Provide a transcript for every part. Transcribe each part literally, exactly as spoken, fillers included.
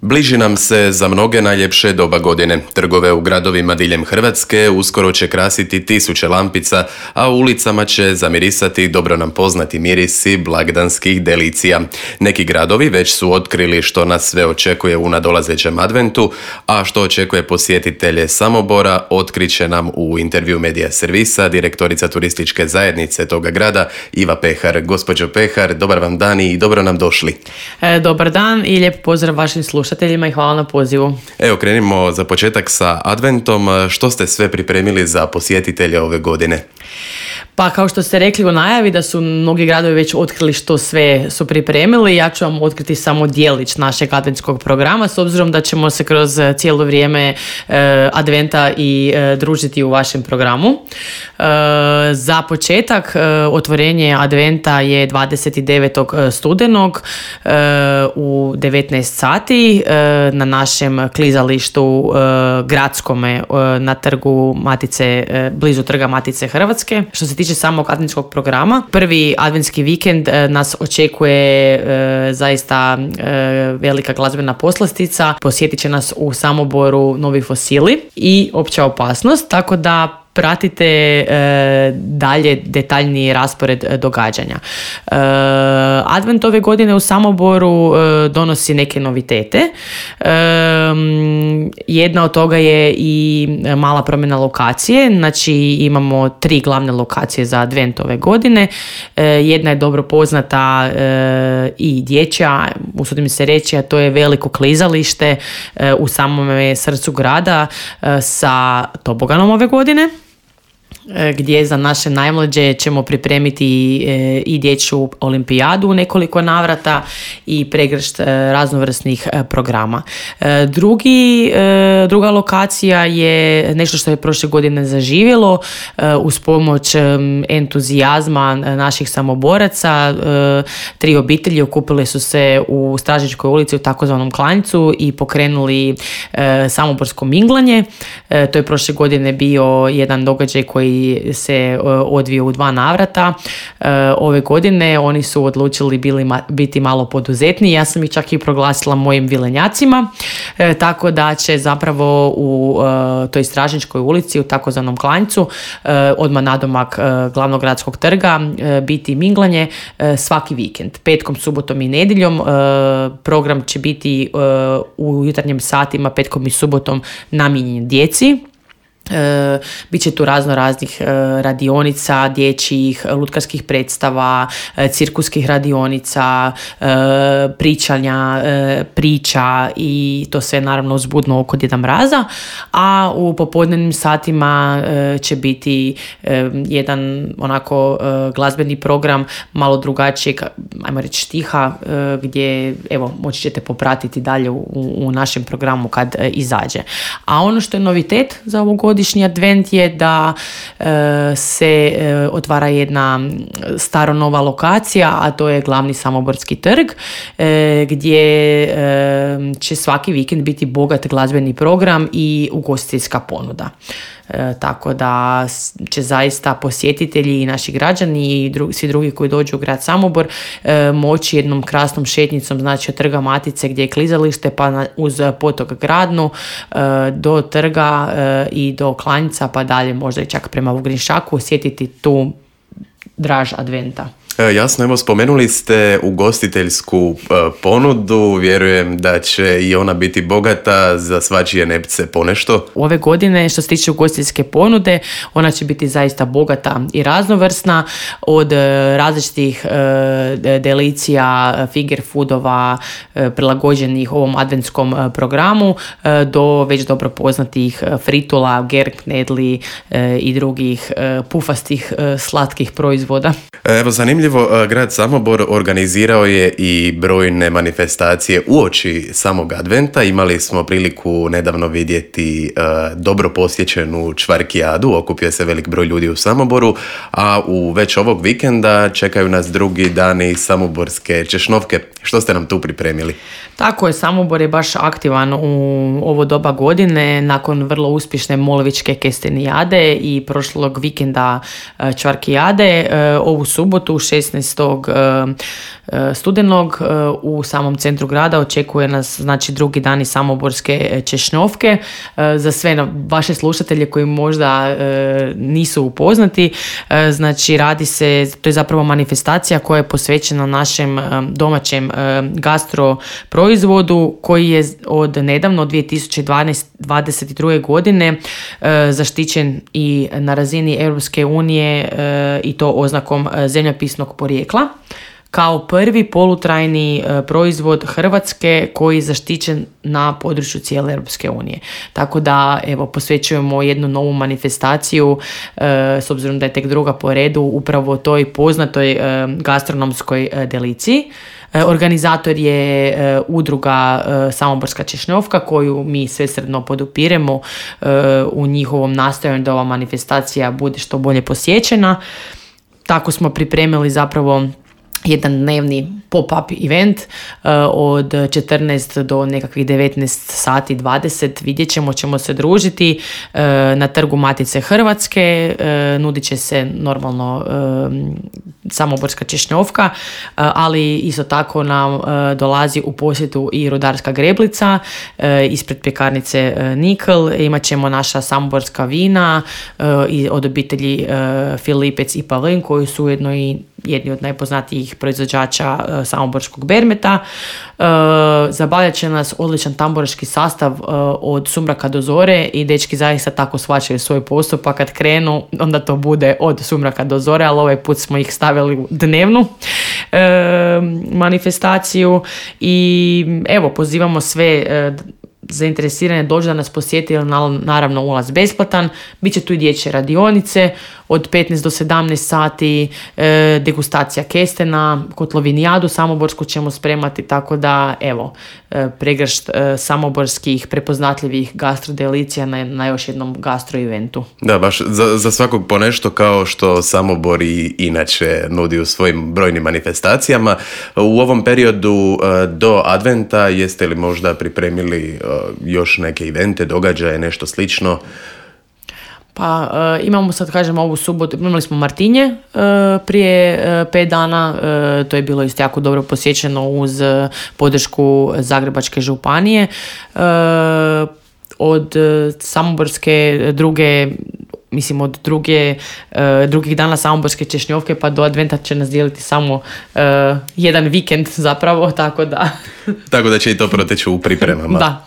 Bliži nam se za mnoge najljepše doba godine. Trgove u gradovima diljem Hrvatske uskoro će krasiti tisuće lampica, a u ulicama će zamirisati dobro nam poznati mirisi blagdanskih delicija. Neki gradovi već su otkrili što nas sve očekuje u nadolazećem adventu, a što očekuje posjetitelje Samobora otkriće nam u intervju Medija servisa direktorica turističke zajednice toga grada Iva Pehar. Gospođo Pehar, dobar vam dan i dobro nam došli. E, dobar dan i lijep pozdrav vašim slušateljima i hvala na pozivu. Evo, krenimo za početak sa adventom. Što ste sve pripremili za posjetitelje ove godine? Pa kao što ste rekli u najavi da su mnogi gradovi već otkrili što sve su pripremili, ja ću vam otkriti samo dijelić našeg adventskog programa s obzirom da ćemo se kroz cijelo vrijeme e, adventa i e, družiti u vašem programu. E, za početak e, otvorenje adventa je dvadeset devetog studenog e, u devetnaest sati e, na našem klizalištu e, gradskome e, na trgu Matice, e, blizu trga Matice Hrvatske. Što se tiče samog adventskog programa, prvi adventski vikend e, nas očekuje e, zaista e, velika glazbena poslastica. Posjetit će nas u Samoboru Novi fosili i Opća opasnost, tako da pratite e, dalje detaljniji raspored e, događanja. E, Advent ove godine u Samoboru e, donosi neke novitete. E, jedna od toga je i mala promjena lokacije, znači imamo tri glavne lokacije za Advent ove godine. E, jedna je dobro poznata e, i dječja, usudim se reći, a to je veliko klizalište e, u samome srcu grada e, sa toboganom ove godine, gdje za naše najmlađe ćemo pripremiti i dječju olimpijadu u nekoliko navrata i pregršt raznovrsnih programa. Drugi, druga lokacija je nešto što je prošle godine zaživjelo uz pomoć entuzijazma naših samoboraca. Tri obitelji okupile su se u Stražičkoj ulici u takozvanom Klanjcu i pokrenuli samoborsko minglanje. To je prošle godine bio jedan događaj koji se odvio u dva navrata. Ove godine oni su odlučili bili ma, biti malo poduzetniji. Ja sam ih čak i proglasila mojim vilenjacima, e, tako da će zapravo u e, toj Stražničkoj ulici u takozvanom Klanjcu e, odmah nadomak e, glavnog gradskog trga e, biti minglanje e, svaki vikend. Petkom, subotom i nedjeljom e, program će biti e, u jutarnjim satima petkom i subotom namijenjen djeci. E, Biće tu razno raznih e, radionica, dječjih, lutkarskih predstava, e, cirkuskih radionica, e, pričanja, e, priča i to sve naravno uzbudno oko Djeda Mraza, a u popodnevnim satima e, će biti e, jedan onako e, glazbeni program malo drugačijeg, ajmo reći štiha, e, gdje evo moći ćete popratiti dalje u, u našem programu kad e, izađe. A ono što je novitet za ovu godinu godišnji advent je da e, se e, otvara jedna staro nova lokacija, a to je glavni Samoborski trg, e, gdje e, će svaki vikend biti bogat glazbeni program i ugostiteljska ponuda. E, tako da će zaista posjetitelji i naši građani i dru, svi drugi koji dođu u grad Samobor e, moći jednom krasnom šetnicom, znači od trga Matice gdje je klizalište pa na, uz potok Gradnu e, do trga e, i do Klanjca pa dalje možda i čak prema Vugrinšaku osjetiti tu draž adventa. Jasno, evo spomenuli ste ugostiteljsku ponudu, vjerujem da će i ona biti bogata za svačije nepce ponešto. Ove godine što se tiče ugostiteljske ponude, ona će biti zaista bogata i raznovrsna, od različitih delicija, finger foodova prilagođenih ovom adventskom programu do već dobro poznatih fritula, gerknedli i drugih pufastih slatkih proizvoda. Evo, zanimljivo, grad Samobor organizirao je i brojne manifestacije uoči samog adventa. Imali smo priliku nedavno vidjeti uh, dobro posjećenu čvarkijadu, okupio se velik broj ljudi u Samoboru, a u već ovog vikenda čekaju nas drugi dani samoborske češnovke. Što ste nam tu pripremili? Tako je, Samobor je baš aktivan u ovo doba godine nakon vrlo uspješne Molovičke kestenijade i prošlog vikenda čvarkijade. Ovu subotu u šest šesnaestog studenog u samom centru grada očekuje nas znači drugi dani samoborske češnjovke. Za sve vaše slušatelje koji možda nisu upoznati, znači radi se, to je zapravo manifestacija koja je posvećena našem domaćem gastro proizvodu koji je od nedavno, od dvije tisuće dvadeset druge godine zaštićen i na razini Europske unije i to oznakom zemljopisnog porijekla kao prvi polutrajni proizvod Hrvatske koji je zaštićen na području cijele Europske unije. Tako da evo posvećujemo jednu novu manifestaciju s obzirom da je tek druga po redu upravo toj poznatoj gastronomskoj deliciji. Organizator je udruga Samoborska češnjovka koju mi svesrdno podupiremo u njihovom nastojanju da ova manifestacija bude što bolje posjećena. Tako smo pripremili zapravo jedan dnevni pop-up event uh, od četrnaest do nekakvih devetnaest sati dvadeset. Vidjet ćemo, ćemo se družiti uh, na Trgu Matice Hrvatske. Uh, nudit će se normalno uh, samoborska češnjovka, uh, ali isto tako nam uh, dolazi u posjetu i rudarska greblica uh, ispred pekarnice uh, Nikl. Imat ćemo naša samoborska vina uh, i od obitelji uh, Filipec i Pavlin koji su ujedno i jedni od najpoznatijih proizvođača uh, samoborskog bermeta. Uh, zabavljat će nas odličan tamburaški sastav uh, od sumraka do zore i dečki zaista tako shvaćaju svoj posao, pa kad krenu onda to bude od sumraka do zore, ali ovaj put smo ih stavili u dnevnu uh, manifestaciju i evo pozivamo sve uh, zainteresirane dođu da nas posjeti, jer naravno ulaz besplatan. Biće tu i dječje radionice od petnaest do sedamnaest sati, e, degustacija kestena, kotlovinijadu samoborsku ćemo spremati, tako da evo e, pregršt e, samoborskih prepoznatljivih gastrodelicija na, na još jednom gastro eventu. Da, baš za, za svakog po nešto kao što Samobor i inače nudi u svojim brojnim manifestacijama. U ovom periodu e, do adventa jeste li možda pripremili e, još neke evente, događaje, nešto slično? Pa e, imamo sad, kažem, ovu subotu, imali smo Martinje e, prije e, pet dana, e, to je bilo isto jako dobro posjećeno uz e, podršku Zagrebačke županije. E, od e, Samoborske druge, mislim od druge, e, drugih dana Samoborske češnjovke pa do adventa će nas dijeliti samo e, jedan vikend zapravo, tako da... tako da će i to proteći u pripremama. Da.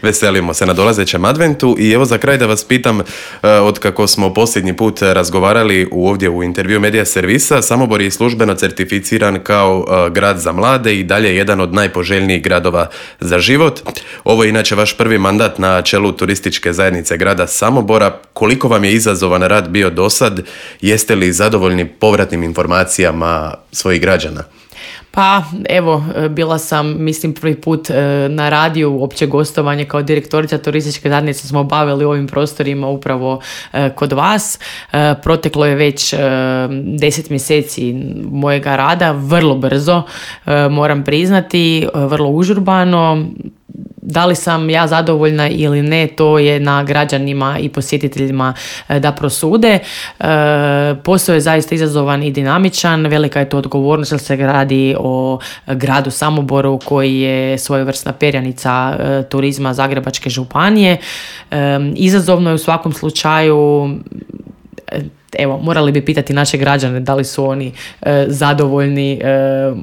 Veselimo se na dolazećem adventu i evo za kraj da vas pitam, od kako smo posljednji put razgovarali u ovdje u intervju Medija servisa, Samobor je službeno certificiran kao grad za mlade i dalje jedan od najpoželjnijih gradova za život. Ovo je inače vaš prvi mandat na čelu turističke zajednice grada Samobora. Koliko vam je izazovan rad bio dosad? Jeste li zadovoljni povratnim informacijama svojih građana? Pa evo, bila sam, mislim, prvi put na radiju opće gostovanje kao direktorica turističke zajednice smo obavili u ovim prostorima upravo kod vas. Proteklo je već deset mjeseci mojega rada, vrlo brzo, moram priznati, vrlo užurbano. Da li sam ja zadovoljna ili ne, to je na građanima i posjetiteljima da prosude. E, posao je zaista izazovan i dinamičan, velika je to odgovornost jer se radi o gradu Samoboru koji je svojevrsna perjanica e, turizma Zagrebačke županije. E, izazovno je u svakom slučaju. Evo, morali bi pitati naše građane da li su oni e, zadovoljni e,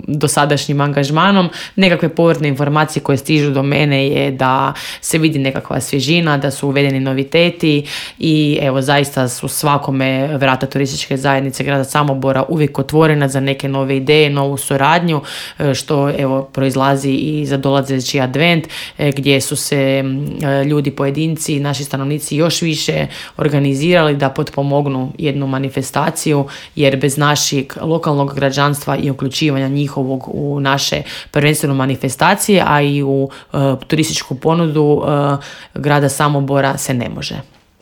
dosadašnjim angažmanom. Nekakve povratne informacije koje stižu do mene je da se vidi nekakva svježina, da su uvedeni noviteti i evo, zaista su svakome vrata turističke zajednice grada Samobora uvijek otvorena za neke nove ideje, novu suradnju, e, što evo proizlazi i za dolazeći advent e, gdje su se e, ljudi, pojedinci, naši stanovnici još više organizirali da potpomognu jednu manifestaciju, jer bez našeg lokalnog građanstva i uključivanja njihovog u naše prvenstveno manifestacije, a i u uh, turističku ponudu uh, grada Samobora se ne može.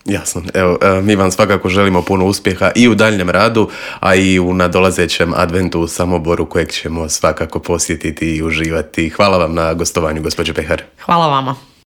Jasno. Evo, mi vam svakako želimo puno uspjeha i u daljnjem radu, a i u nadolazećem adventu u Samoboru kojeg ćemo svakako posjetiti i uživati. Hvala vam na gostovanju, gospođo Pehar. Hvala vama.